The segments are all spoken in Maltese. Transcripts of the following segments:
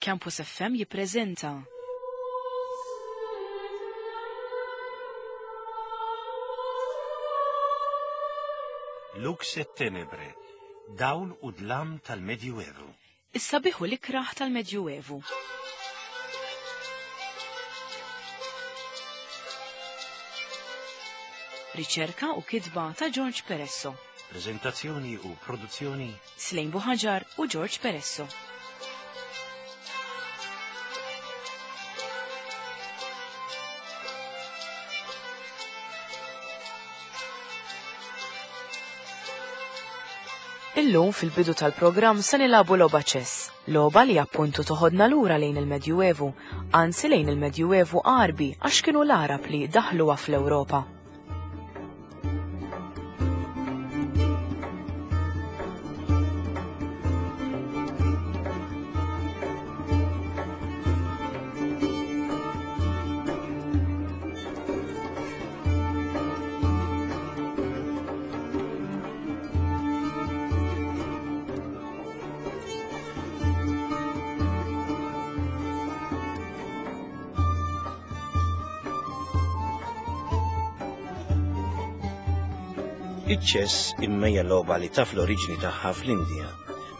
Campus FM jippreżenta. Lux et Tenebre, dawl u dlam tal-Medjuevu. Is-sabiħ u l-ikrah tal-Medjuevu. Riċerka u kitba ta' George Peresso. Preżentazzjoni u produzzjoni Slejn Buħaġar u George Peresso. Illum fil-bidu tal-programm se nilagħbu logħba ċess, logħba li appuntu toħodna lura lejn il-Medjuevu, anzi lejn il-Medjuevu Għarbi għax kienu l-Għarab li daħluha fl-Ewropa. Iċ-ċess imma hija logħba li taf l-oriġini tagħha fl-Indja,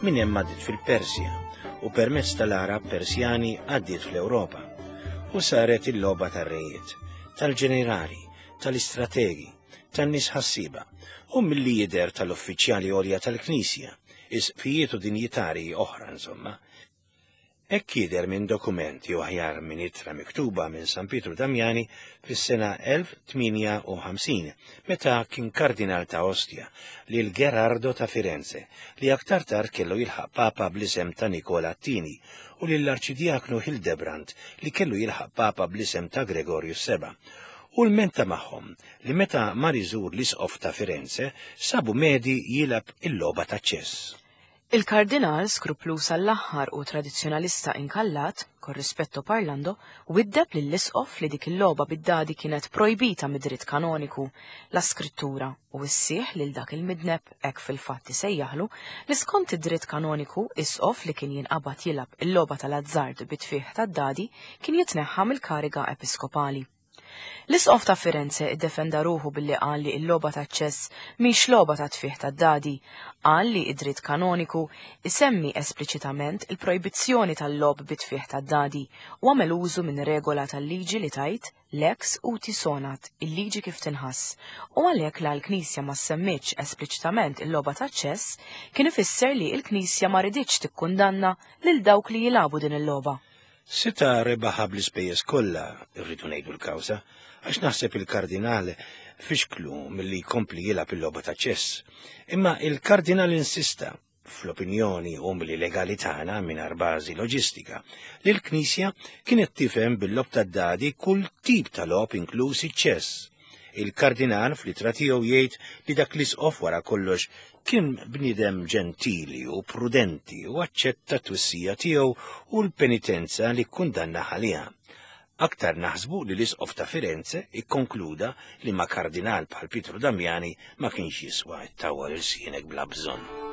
minn hemm għaddiet fil-Persja u permezz tal-Għarab Persjani għaddiet fl-Ewropa u saret il-logħba tar-rejiet, tal-ġenerali, tal-istrategi, tan-nies ħassieba u milli jidher tal-uffiċjali għolja tal-Knisja, isqfijiet u dinjitarji oħra insomma. Hekk jidher minn dokument jew aħjar minn ittra miktuba minn San Pietru Damiani fis-sena 1058 meta kien kardinal ta' Ostia lil Gerardo ta' Firenze li aktar tard kellu jilħaq papa bl-isem ta' Nikola t-Tieni u lill-Arċidjaknu Hildebrand li kellu jilħaq papa bl-isem ta' Gregorju s-Seba' u lmenta magħhom li meta mar iżur l-Isqof ta' Firenze sabu medi jilgħab il-logħba taċ-ċess. Il-Kardinal, skrupluż għall-aħħar u tradizzjonalista inkallat, con rispetto parlando, widdeb lill-Isqof li dik il-logħba bid-dadi kienet projbita mid-dritt kanoniku, la skrittura, u wissieh lil dak il-midneb, hekk fil-fatt isejjaħlu, li skont id-dritt kanoniku, isqof li kien jinqabad jilgħab il-logħba tal-azzard bit-tfigħ tad-dadi kien jitneħħa mill-kariga episkopali. L-Isqof ta' Firenze iddefenda ruħu billi qal li l-logħba taċ-ċess mhix logħba ta' tfigħ tad-dadi. Qal li id-dritt kanoniku isemmi espliċitament il-projbizzjoni tal-logħob bi tfigħ tad-dadi u għamel użu minn regola tal-liġi li tgħid lex uti sonat, il-liġi kif tinħass, u għalhekk la l-Knisja ma semmitx espliċitament il-logħba taċ-ċess kien ifisser li l-Knisja ma riditx tikkundanna lil dawk li jilagħbu din il-logħba. Seta' rebaħha bl-ispejjeż kollha, irridu ngħidu l-kawża, għax naħseb il-Kardinal fixklu milli jkompli jilgħab il-logħba ta' ċess. Imma il-Kardinal insista, fl-opinjoni umli legali tagħna mingħajr bażi loġistika, li l-Knisja kienet tifhem bil-logħob tad-dadi kull tip ta' logħob inkluż iċ-ċess. Il-Kardinal fl-ittra tiegħu jgħid li dak l-isqof wara kollox kien bniedem ġentili u prudenti u aċċetta t-twissija tiegħu u l-penitenza li kkundanna għaliha. Aktar naħsbu li l-isqof ta' Firenze ikkonkluda li ma' kardinal bħal Pietru Damiani ma kienx jiswa ttawwal ilsienek bla bżonn.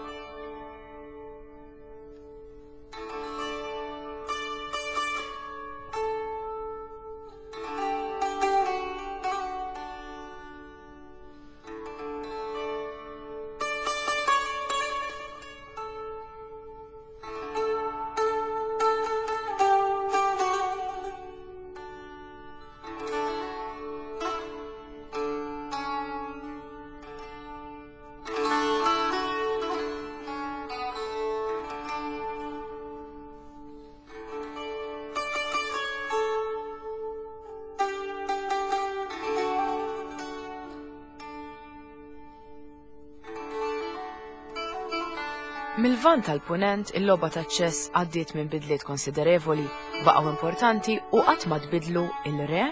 Mil-Lvant tal-Punent, il-logħba taċ-ċess għaddiet minn bidliet konsiderevoli, baqgħu importanti u qatt ma tbiddlu il-re,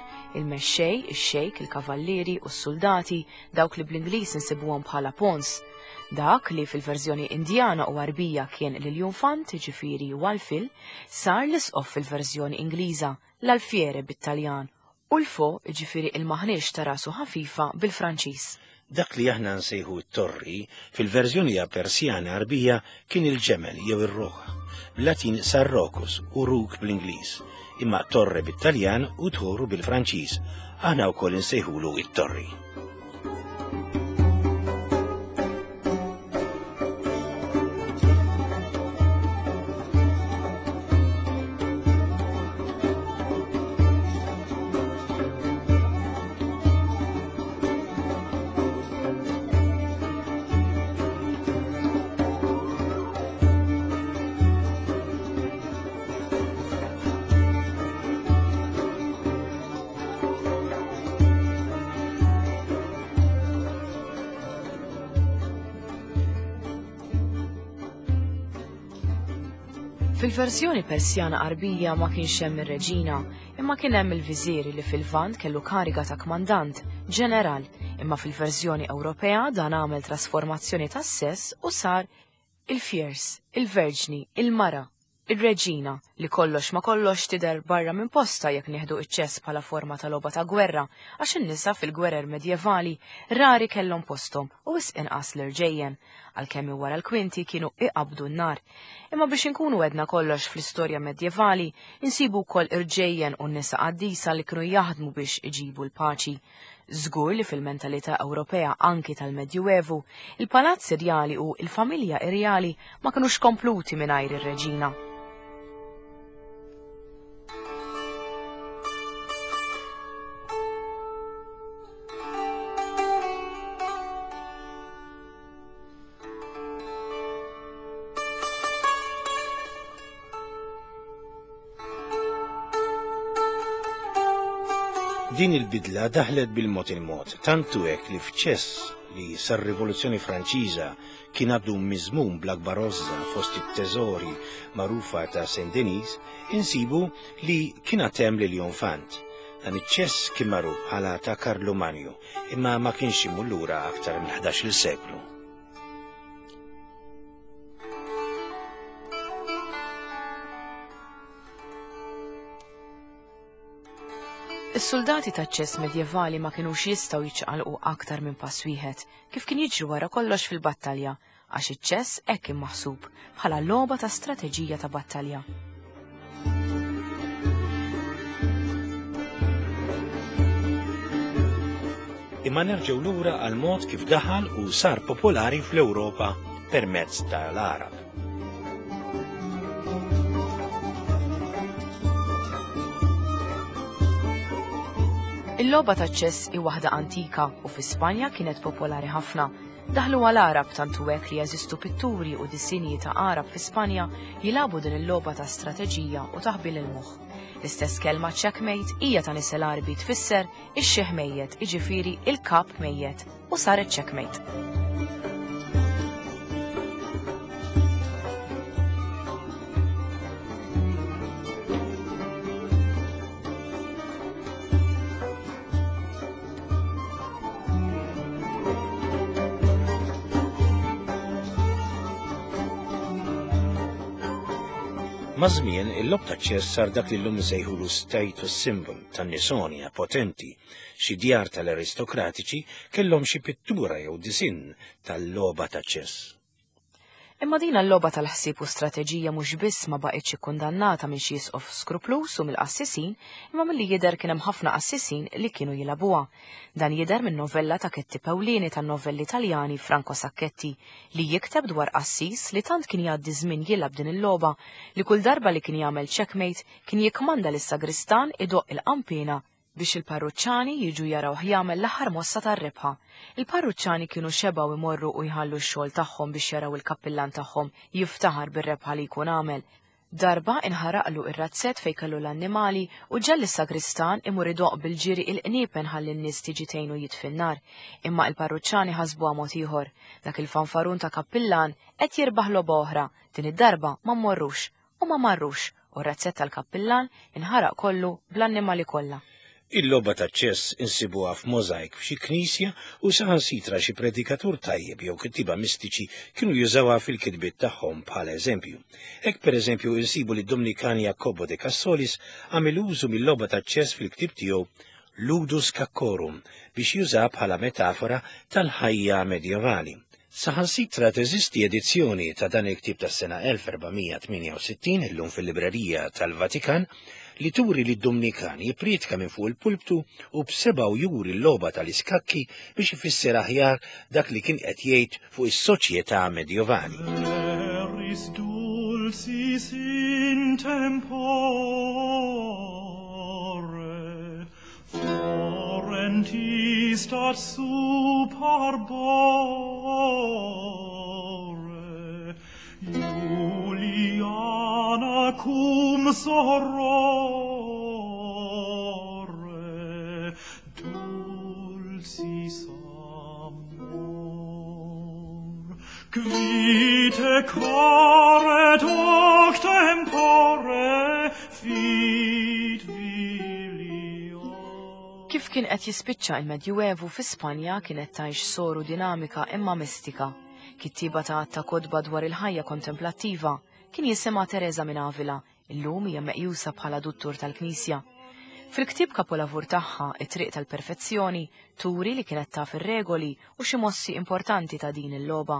il-mexxej, ix-xejk, il-kavallieri u s-suldati, dawk li bl-Ingliż insibuhom bħala pawns. Dak li fil-verżjoni Indjana u Għarbija kien l-iljunfant, jiġifieri Walfil, sar l-isqof fil-verżjoni Ingliża, l-alfiere bit-Taljan, u l-fo, jiġifieri il-maħniex ta' rasu ħafifa bil-Franċiż. Dak li aħna nsejħu t-torri, fil-verżjoni Persjana Għarbija kien il-ġemel jew ir-ruħ. Bl-Latin Sarrocus u Rook bl-Ingliż, imma Torre bit-Taljan u Toru bil-Franċiż. Aħna wkoll insejħulu it-Torri. Fil-verżjoni Persjana Qarbija ma kienx hemm ir-reġina, imma kien hemm il-viżieri li fil-Lvant kellu kariga ta' kmandant, ġeneral, imma fil-verżjoni Ewropea dan għamel trasformazzjoni tas-sess u sar il-fjers, il-verġni, il-mara, ir-reġina, li kollox ma kollox tidher barra minn postha jekk nieħdu iċ-ċess bħala forma ta' logħba ta' gwerra, għax in-nisa fil-gwerer medjevali rari kellhom posthom u wisq inqas l-irġejjen, għalkemm minn wara l-kwinti kienu iqabbdu n-nar. Imma biex inkunu għedna kollox fl-istorja medjevali, insibu wkoll irġejjen u nisa qaddisa li kienu jaħdmu biex iġibu l-paċi. Żgur li fil-mentalità Ewropea anki tal-Medjuevu, il-palazz irjali u l-familja irjali ma kinux kompluti mingħajr ir-reġina. Din il-bidla daħlet bil-mod il-mod, tant hu hekk li f'ċess li sar-Rivoluzzjoni Franċiża kien għadu miżmum bl-akbar għożża fost it-teżori magħrufa ta' Saint Denis, insibu li kien għad hemm l-Lionfant. Dan iċ-ċess kien magħruf bħala ta' Karlu Manju, imma ma kienx imur lura aktar mill-ħdax-il seklu. Is-suldati taċ-ċess medjevali ma kinux jistgħu jiċċaqalqu aktar minn pass wieħed, kif kien jiġri wara kollox fil-battalja, għax iċ-ċess hekk kien maħsub, bħala logħba ta' strateġija ta' battalja. Imma nerġgħu lura għal mod kif daħal u sar popolari fl-Ewropa permezz tal-Għarab. Il-logħba taċ-ċess hi waħda antika u fi Spanja kienet popolari ħafna. Daħlu għal Għarab tant hu hekk li jeżistu pitturi u disinji ta' Għarab fi Spanja jilagħbu din il-logħba ta' strateġija u taħbil il-moħħ. L-istess kelma checkmate hija ta' nisel Għarbi tfisser ix-xiħ mejjet, jiġifieri il-kap mejjet, u saret checkmate. Maż-żmien, il-logħob taċ-ċess sar dak li llum insejħulu status symbol tan-nisonja potenti. Xi djar tal-aristokratiċi kellhom xi pittura jew disinn tal-logħba taċ-ċess. Imma din l-logħba tal-ħsieb u strateġija mhux biss ma baqgħetx ikkundannata minn xi isqof skrupluż u mill-qassisin, imma milli jidher kien hemm ħafna qassisin li kienu jilagħbuha. Dan jidher minn novella ta' kittieb ewlieni tan-novelli Taljani Franco Sacchetti li jikteb dwar qassis li tant kien jgħaddi żmien jilgħab din il-logħba li kull darba li kien jagħmel checkmate kien jikkmanda lis-sagristan idoqq il-qanpiena biex il-parruċċani jiġu jarawh jagħmel l-aħħar mossa tar-rebħa. Il-parruċċani kienu xebgħu jmorru u jħallu x-xogħol tagħhom biex jaraw il-kappillan tagħhom jiftaħar bir-rebħa li jkun għamel. Darba inħaraqlu ir-razzett fejn kellu l-annimali u ġegħel lis-sagristan imur idoqq bil-ġiri il-qniepen ħalli n-nies tiġi tgħinu jitfi n-nar. Imma il-parruċċani ħasbuha mod ieħor. Dak il-fanfarun ta' kappillan qed jirbaħ logħba oħra, din id-darba ma mmorrux. U ma marrux, u r-razzett tal-kappillan inħaraq kollu bl-annimali kollha. Il-logħba taċ-ċess insibuha f'możajk f'xi knisja u saħansitra xi predikatur tajjeb jew kittieba mistiċi kienu jużawha fil-kitbiet tagħhom bħala eżempju. Hekk pereżempju insibu li d-Dumnikan Jacobo de Cassolis għamel użu mil-logħba taċ-ċess fil-ktieb tiegħu Ludus Scaccorum biex jużaha bħala metafora tal-ħajja medjevali. Saħansitra teżisti edizzjoni ta' dan il-ktieb tas-sena 1468 illum fil-librerija tal-Vatikan li turi li d-Dumnikan jippriedka minn fuq il-pulptu u b'sebgħu juri l-logħba tal-iskakki biex ifisser aħjar dak li kien qed jgħid fuq is-soċjetà medjovali. Eris dulcis in tempore, Florentis dat sub arbore, Juliana cum sorore, dulcis amor. Qui te caret hoc tempore fit vilio. Kif kien qed jispiċċa il-Medjuevu fi Spanja kienet tgħix soru dinamika imma mistika. Kittieba ta' għadd ta' kotba dwar il-ħajja kontemplattiva, kien jisimha Teresa minn Avila, illum hija meqjusa bħala duttur tal-Knisja. Fil-ktieb kapolavur tagħha, It-Triq tal-Perfezzjoni, turi li kienet taf ir-regoli u xi mossi importanti ta' din il-logħba.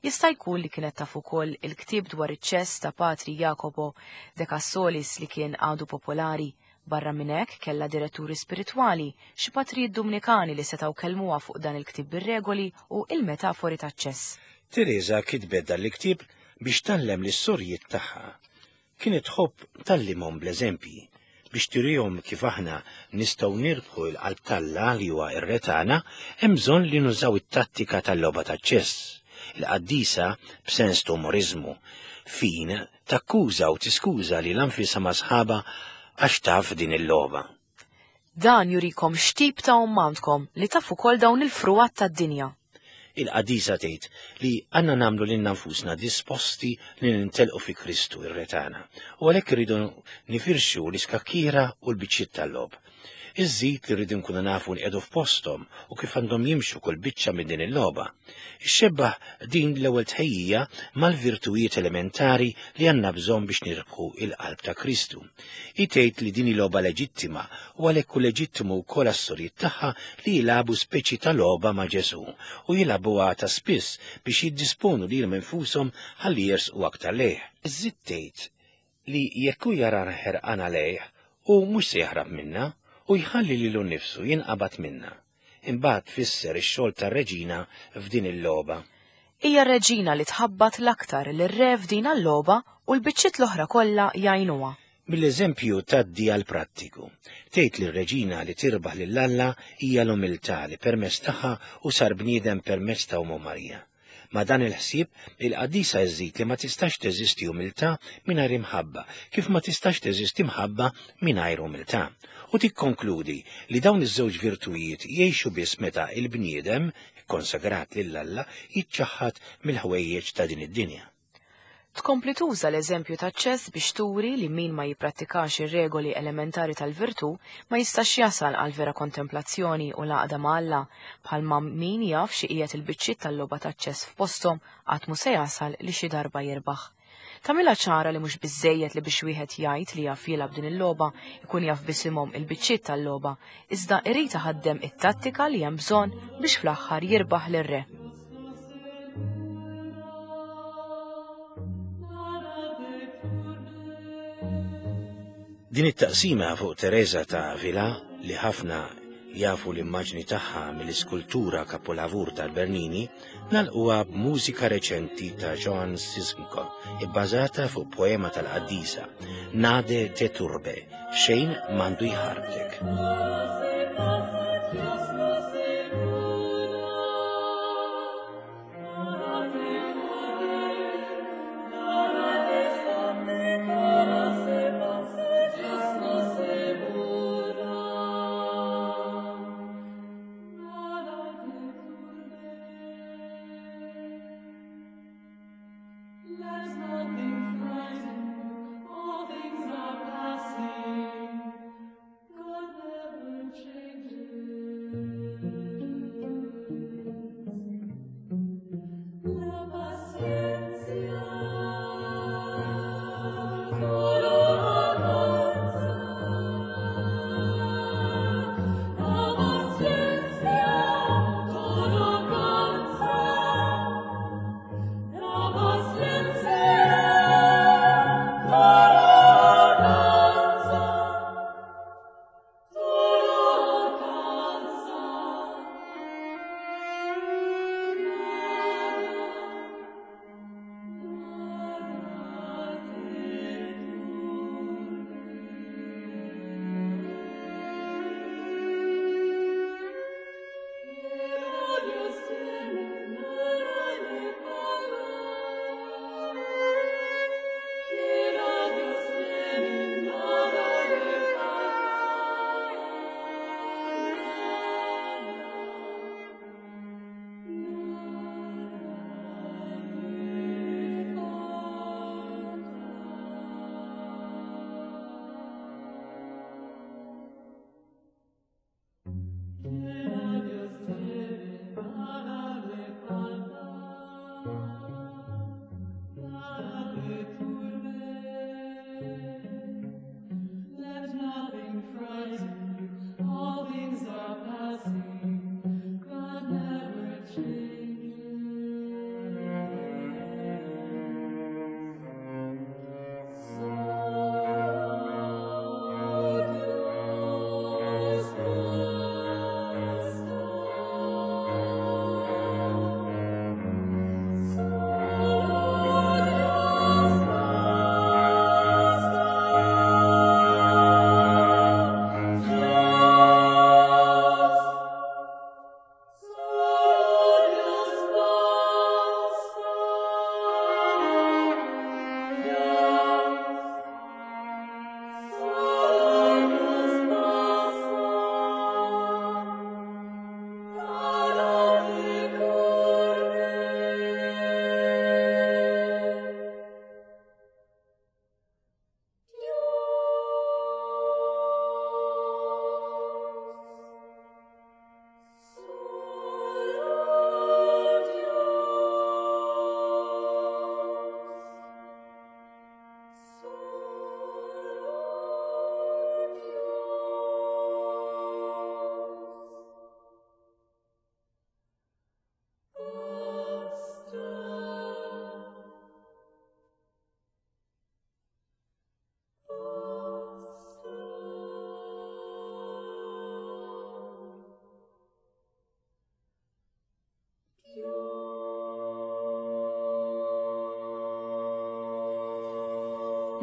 Jista' jkun li kienet taf ukoll il-ktieb dwar iċ-ċess ta' Patri Jacopo de Cassolis li kien għadu popolari. Barra minn hekk kellha diretturi spiritwali, xi patrijiet Dumnikani li setgħu kellmuha fuq dan il-ktieb bir-regoli u il-metafori taċ-ċess. Teresa kitbet dan il-ktieb biex tgħallem lis-sorijiet tagħha. Kienet tħobb tgħallimhom bl-eżempji, biex turihom kif aħna nistgħu nirbħu l-qalb t'Alla li huwa r-re tagħna, hemm bżonn li nużaw it-tattika tal-logħba taċ-ċess. Il-qaddisa, b'sens ta' umoriżmu fin, takkuża u tiskuża lilha nfisha ma' sħabha għax taf din il-logħba. Dan jurikom x'tip ta' omm għandkom li taf ukoll dawn il-frugħat tad-dinja. Il-qaddisa tgħid li għandna nagħmlu lilna nfusna disposti li nintelqu fi Kristu ir-Re tagħna, u għalhekk irridu nifirxu l-iskakkiera u l-biċċiet tal-logħob. Iżżid li rridu nkunu nafu nqiegħdu f'posthom u kif għandhom jimxu kull biċċa minn din il-logħba. Ixxebbaħ din l-ewwel tħejjija mal-virtujiet elementari li għandna bżonn biex nirbħu il-qalb ta' Kristu. Hi tgħid li din hi logħba leġittima u għalhekk hu leġittimu wkoll għas-sorijiet tagħha li jilagħbu speċi ta' logħba ma' Ġesù u jilagħbuha ta' spiss biex jiddisponu lilhom infushom ħalli jersqu aktar lejh. Iżżid tgħid li jekk hu jarana ħerqana lejh, hu mhux se jaħrab minna u jħalli lilu nnifsu jinqabad minna. Imbagħad tfisser ix-xogħol tar-reġina f'din il-logħba. Hija r-reġina li tħabbat l-aktar lir-re f'din l-logħba u l-biċċiet l-oħra kollha jgħinuha. Mill-eżempju tgħaddi għall-prattiku. Tgħid li r-reġina li tirbaħ lil Alla hija l-umiltà li permezz tagħha hu sar bniedem permezz ta' Ommu Marija. Ma' dan il-ħsieb, il-qaddisa żżid li ma tistax teżisti umiltà mingħajr imħabba, kif ma tistax teżisti mħabba mingħajr umiltà. U tikkonkludi li dawn iż-żewġ virtujiet jgħixu biss meta il-bniedem, ikkonsagrat lil Alla, jiċċaħħad mill-ħwejjeġ ta' din id-dinja. Tkompli tuża l-eżempju taċ-ċess biex turi li min ma jipprattikax ir-regoli elementari tal-virtù ma jistax jasal għal vera kontemplazzjoni u l-għaqda ma' Alla, bħalma min jaf xi qiegħed il-biċċiet tal-logħba taċ-ċess f'posthom qatt mhu se jasal li xi darba jirbaħ. Tagħmilha ċara li mhux biżżejjed li biex wieħed jgħid li jaf jilgħab din il-logħba ikun jaf b'isimhom il-biċċiet tal-logħba, iżda irid iħaddem it-tattika li hemm bżonn biex fl-aħħar jirbaħ lir-re. Din it-taqsima fuq Teresa ta' Avila, li ħafna jafu l-immaġni tagħha mill-iskultura kapolavur tal-Bernini, nagħlquha b'mużika reċenti ta' Joan Sisnko, ibbażata fuq poema tal-qaddisa, Nade te turbe, xejn m'għandu jħarbtek. Let nothing frighten you, all things are passing. God never changes.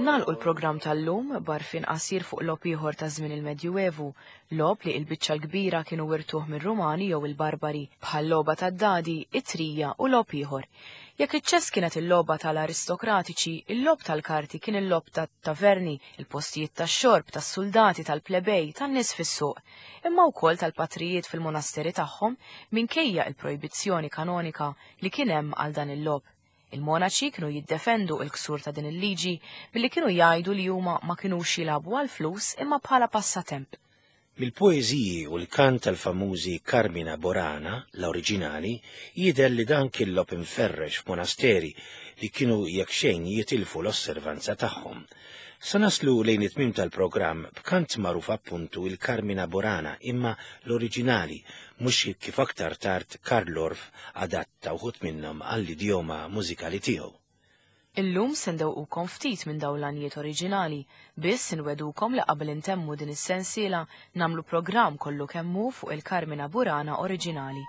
Nagħlqu l-programm tal-lum b'għarfien qasir fuq logħob ieħor ta' żmien il-Medjuevu, logħob li l-biċċa l-kbira kienu wirtuh mir-Rumani jew il-Barbari, bħal-logħba tad-dadi, it-trija u logħob ieħor. Jekk iċ-ċess kienet il-logħba tal-aristokratiċi, il-logħob tal-karti kien il-logħob tat-taverni, il-postijiet tax-xorb, tas-suldati, tal-plebej, tan-nies fis-suq, imma wkoll tal-patrijiet fil-monasteri tagħhom minkejja il-projbizzjoni kanonika li kien hemm għal dan il-logħob. Il-monaċi kienu jiddefendu il-ksur ta' din il-liġi billi kienu jgħidu li huma ma kinux jilagħbu għall-flus imma bħala passatemp. Mill-poeżiji u l-kant tal-famużi Carmina Borana, l-oriġinali, jidher li dan kien logħob imferrex f'monasteri li kienu jekk xejn jitilfu l-osservanza tagħhom. Sa naslu lejn it-tmiem tal-programm b'kant magħruf appuntu il-Carmina Borana imma l-oriġinali, mhux kif aktar tard Carl Orff adatta wħud minnhom għall-idjoma mużikali tiegħu. Illum se ndewqukom ftit minn dawn l-għanjiet oriġinali, biss inwegħdukom li qabel intemmu din is-sensiela nagħmlu programm kollu kemm hu fuq il-Carmina Burana oriġinali.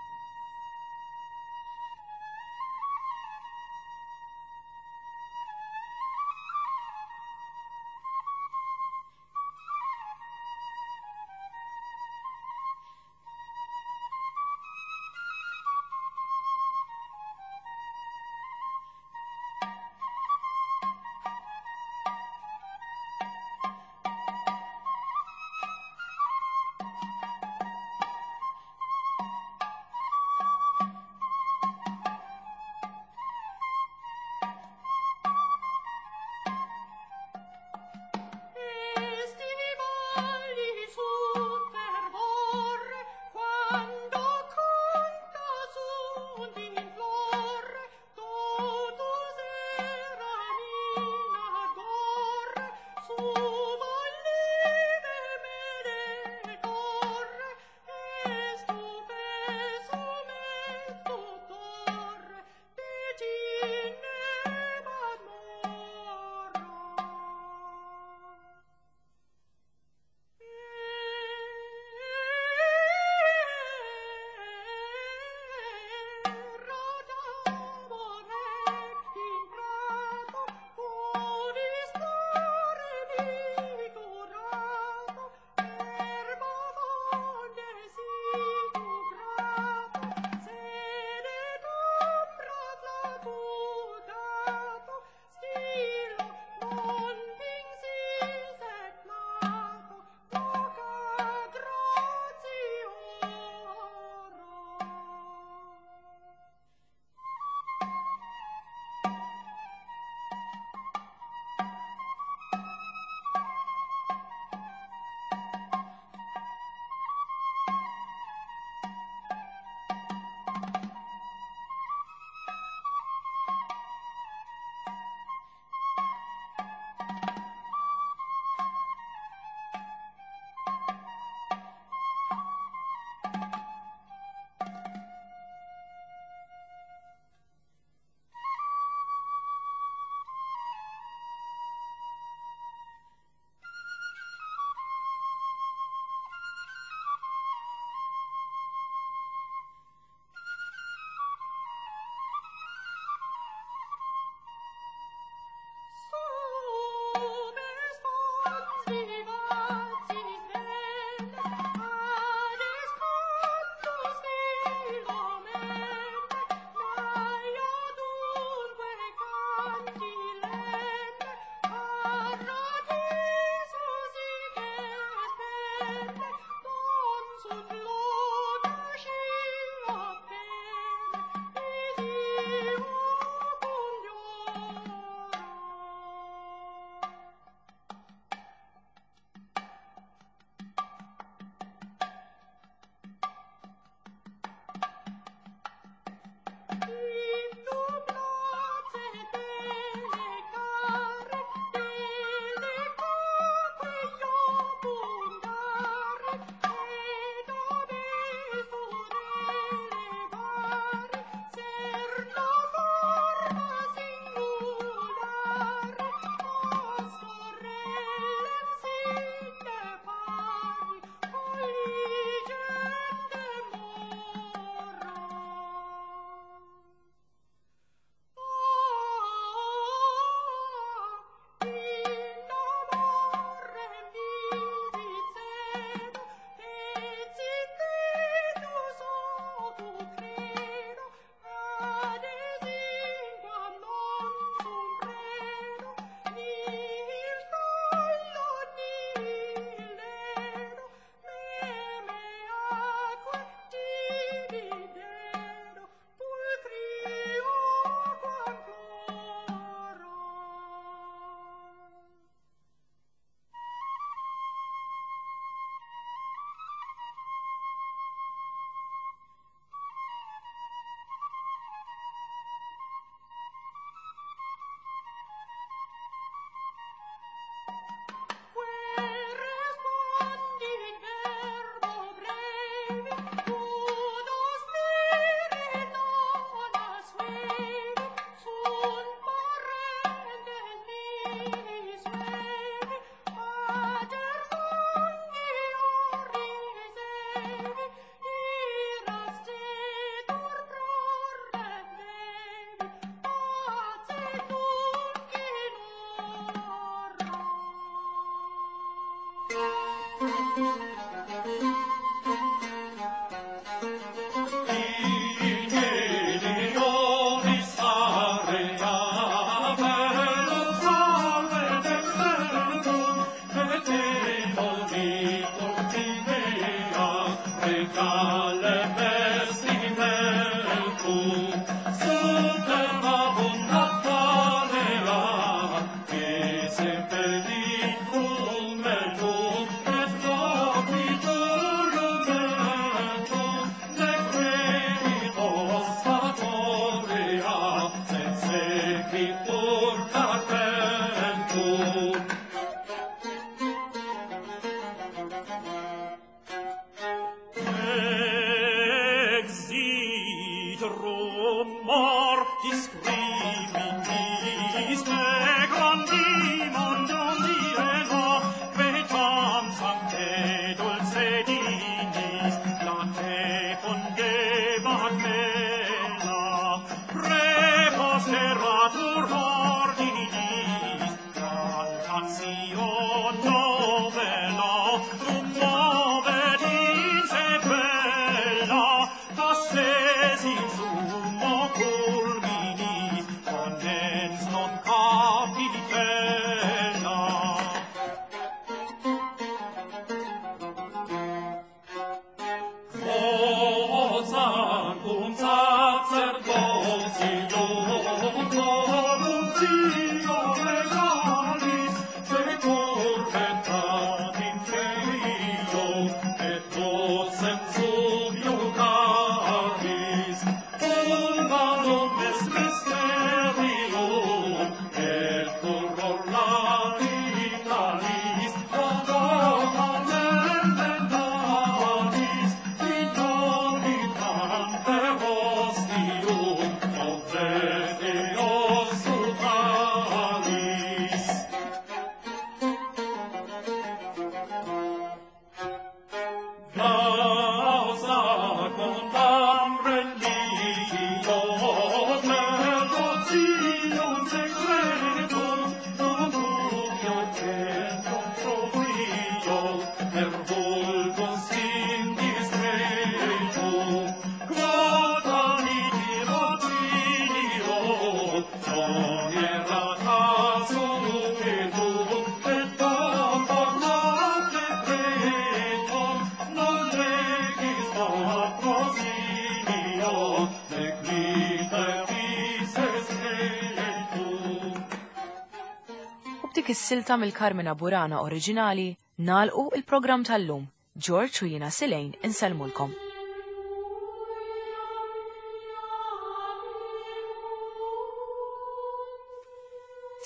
U b'dik is-silta mill-Carmina Burana oriġinali nagħlqu il-programm tal-lum. George u jiena Silejn insellmulkom.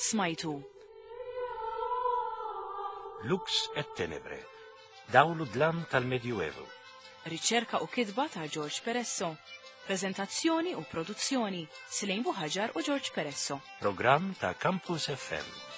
Smajtu. Lux et Tenebre, dawl u dlam tal-Medjuevu. Riċerka u kitba ta' George Peresso. Prezentazzjoni u produzzjoni Silejn Buħaġar u George Peresso. Programm ta' Campus FM.